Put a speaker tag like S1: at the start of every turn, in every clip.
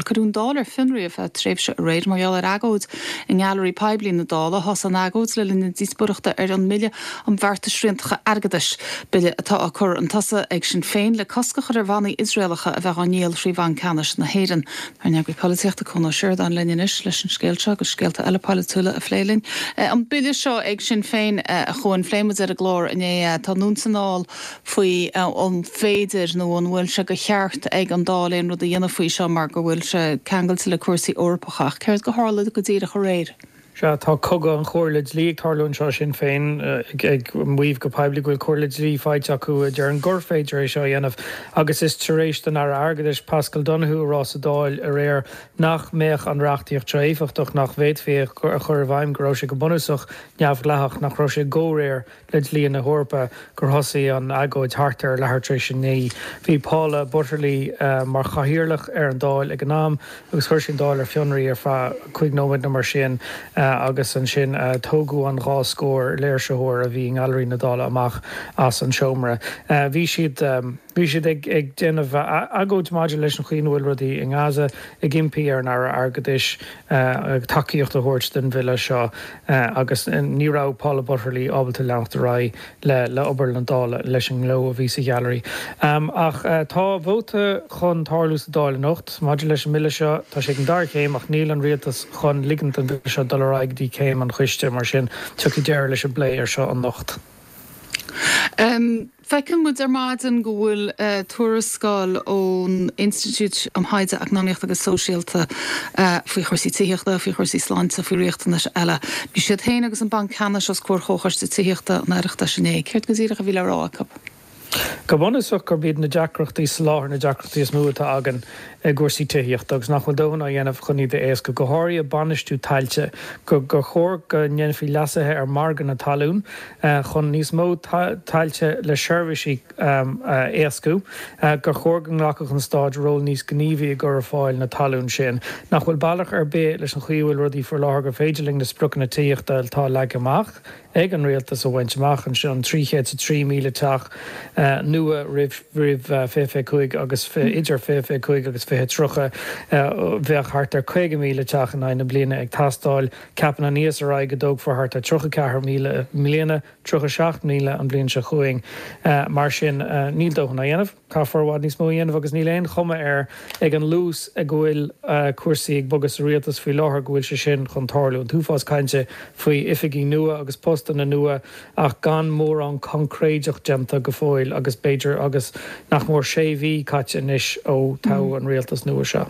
S1: Cuireadh an Dáil ar fionraí ar feadh tréimhse aréir mar gheall ar agóid i nGailearaí Poiblí na Dála. Thosaigh an agóid le linn na díospóireachta ar an mBille um Bhearta Sriantacha Airgeadais, bille atá á cur chun tosaigh ag Sinn Féin le cosc a chur ar bhannaí Iosraelacha a bheith á ndíol thrí Bhanc Ceannais na hÉireann. Ár n-eagraí polaitíochta, Cuan Ó Seireadáin linn anois leis an scéal seo agus scéalta eile polaitiúla a phlé linn. An bille seo ag Sinn Féin, a Chuain, phléigh muid ar an gclár inné é. Tá anonn is anall faoi an féidir nó an bhfuil sé de cheart ag an Dáil aon rud a dhéanamh faoi seo mar go bhfuil sé ceangailte le cúrsaí Eorpacha. Ach céard a tharla go díreach aréir?
S2: Sea, tá cogadh an chomhairle dlí ag tarlú anseo, Sinn Féin ag maíomh go poiblí go bhfuil comhairle dlí faighte acu a deireann gur féidir é seo a dhéanamh agus is tar éis don Aire Airgeadais Paschal Donohoe a rá sa Dáil aréir nach mbeadh an reachtaíocht seo éifeachtach, nach bhféadfaí é a chur i bhfeidhm, go raibh sé go bunúsach neamhdhleathach, nach raibh sé i gcomhréir le dlí na hEorpa gur thosaigh an agóid thart ar leathuair tar éis a 9. Bhí Paula Butterly mar chathaoirleach ar an Dáil ag an am agus chuir sí an Dáil ar fionraí ar feadh 5 nóiméad nó mar sin agus ansin tógadh an dá scór léirsitheoir a bhí i nGailearaí na Dála amach as an seomra. Bhí siad. Bhí siad ag déanamh agóid maidir leis an chaoi ina bhfuil rudaí i nGaza, ag impí ar an Aire Airgeadais tacaíocht a thabhairt don bhille seo agus ní raibh Paula Butterly ábalta leanacht ar aghaidh le obair na Dála leis an ngleo a bhí sa ghailearaí. Ach tá vóta chun tarlú sa Dáil anocht maidir leis an mbille seo. Tá sé ag an dara céim ach níl an rialtas chun ligint don bhille seo dul ar aghaidh go dtí céim an choiste, mar sin tiocfaidh deireadh leis an bplé air seo anocht.
S1: Feiceann muid ar maidin go bhfuil tuarascáil ón Institiúid um Thaighde Eacnamaíochta agus Sóisialta faoi chúrsaí tithíochta, faoi chúrsaí sláinte, faoi riachtanais eile. Bhí siad féin agus an Banc Ceannais os comhair Chomhchoiste Tithíochta an Oireachtais inné. Céard go díreach a bhí le rá acu?
S2: Go bunúsach gurb iad na deacrachtaí soláthair na deacrachtaí is mó atá againn i gcúrsaí tithíochta agus nach bhfuil dóthain á dhéanamh chun iad a éascú, go háirithe bainistiú tailte, gur chóir go ndéanfaí leasuithe ar mhargadh na talún chun níos mó tailte le seirbhísí a éascú, gur chóir go nglacfadh an stát ról níos gníomhaí i gcur ar fáil na talún sin, nach bhfuil bealach ar bith leis an chaoi a bhfuil rudaí faoi láthair gur féidir linn na spriocanna tithíochta atá leagtha amach. ag an rialtas a bhaint amach ansin, an 303,000 teach nua roimh 2025 agus idir 2025 agus 2030, bheadh thart ar 50,000 teach in aghaidh na bliana ag teastáil. Ceapann an ESRI go dtógfar thart ar 34,000 i mbliana, 37,000 an bhliain seo chugainn. Mar sin, níl dóthain á dhéanamh. Caithfear i bhfad níos mó a dhéanamh agus níl aon chuma air ag an luas ag a bhfuil cúrsaí ag bogadh sa rialtas faoi láthair go bhfuil sé sin chun tarlú. An t-uafás cainte faoi oifigí nua agus postanna nua ach gan mórán coincréideach déanta go fóill agus b'fhéidir agus nach mór sé mhí caite anois ó toghadh an rialtas nua seo.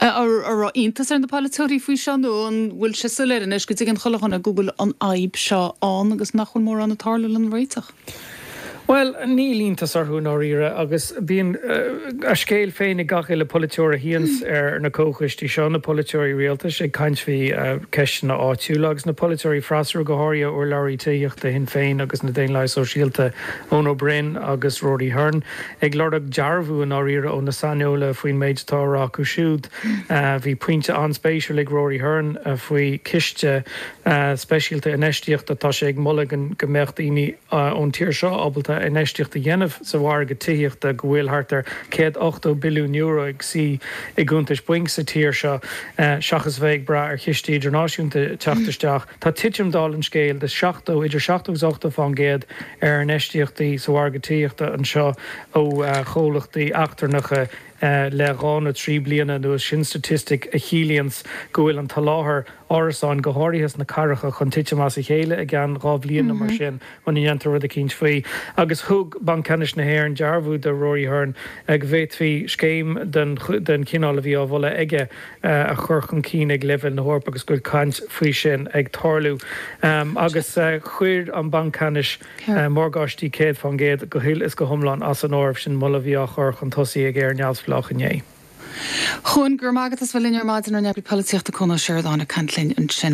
S1: An raibh iontas ar na polaiteoirí faoi seo nó an bhfuil sé soiléir anois go dtuigeann chuile dhuine go bhfuil an fhadhb seo ann agus nach bhfuil mórán ag tarlú lena réiteach?
S2: Bhuel, níl iontas orthu i ndáiríre agus bíonn a scéal féin ag gach uile polaiteoir a shuíonns ar na comhchoistí seo, na polaiteoirí rialtais ag caint faoi cheisteanna áitiúla agus na polaiteoirí freasúra, go háirithe urlabhraí tithíochta Shinn Féin agus na Daonlathaithe Sóisialta, Eoin Ó Broin agus Rory Hearne. Ag lorg dearbhú i ndáiríre ó na saineolaithe faoin méid atá á rá acu siúd. Bhí pointe an-spéisiúil ag Rory Hearne faoi chiste speisialta infheistíochta. Tá sé ag moladh go mbeadh daoine ón tír seo ábalta infheistíocht a dhéanamh sa mhargadh tithíochta, go bhfuil thart ar €180 billiún ag suí i gcuntais bainc sa tír seo, seachas a bheith ag brath ar chistí idirnáisiúnta teacht isteach. Tá titim, dála an scéil, de 70, idir 70 agus 80 fán gcéad ar infheistíochtaí sa mhargadh tithíochta anseo ó chomhlachtaí eachtrannacha le dhá nó trí bliana anuas. Sin staitistic a chiallaíonns go bhfuil an t-soláthar árasáin, go háirithe sna cathracha, chun titim as a chéile i gceann dhá bhliain nó mar sin muna ndéantar rud eicínt faoi. Agus thug Banc Ceannais na hÉireann dearbhú do Rory Hearne go bhféadfaí scéim den chineál a bhí á mholadh aige a chur chun cinn ag leibhéal na hEorpa agus go bhfuil caint faoi sin ag tarlú. Agus chuir an Banc Ceannais morgáistí 100% go huile is go hiomlán as an áireamh, sin moladh a bhí á chur chun tosaigh ag Éire Neamhspleách inné.
S1: Chuan, go raibh maith agat as bheith linn ar maidin, ár n-eagraí polaitíochta Cuan Ó Seireadáin ag caint linn ansin.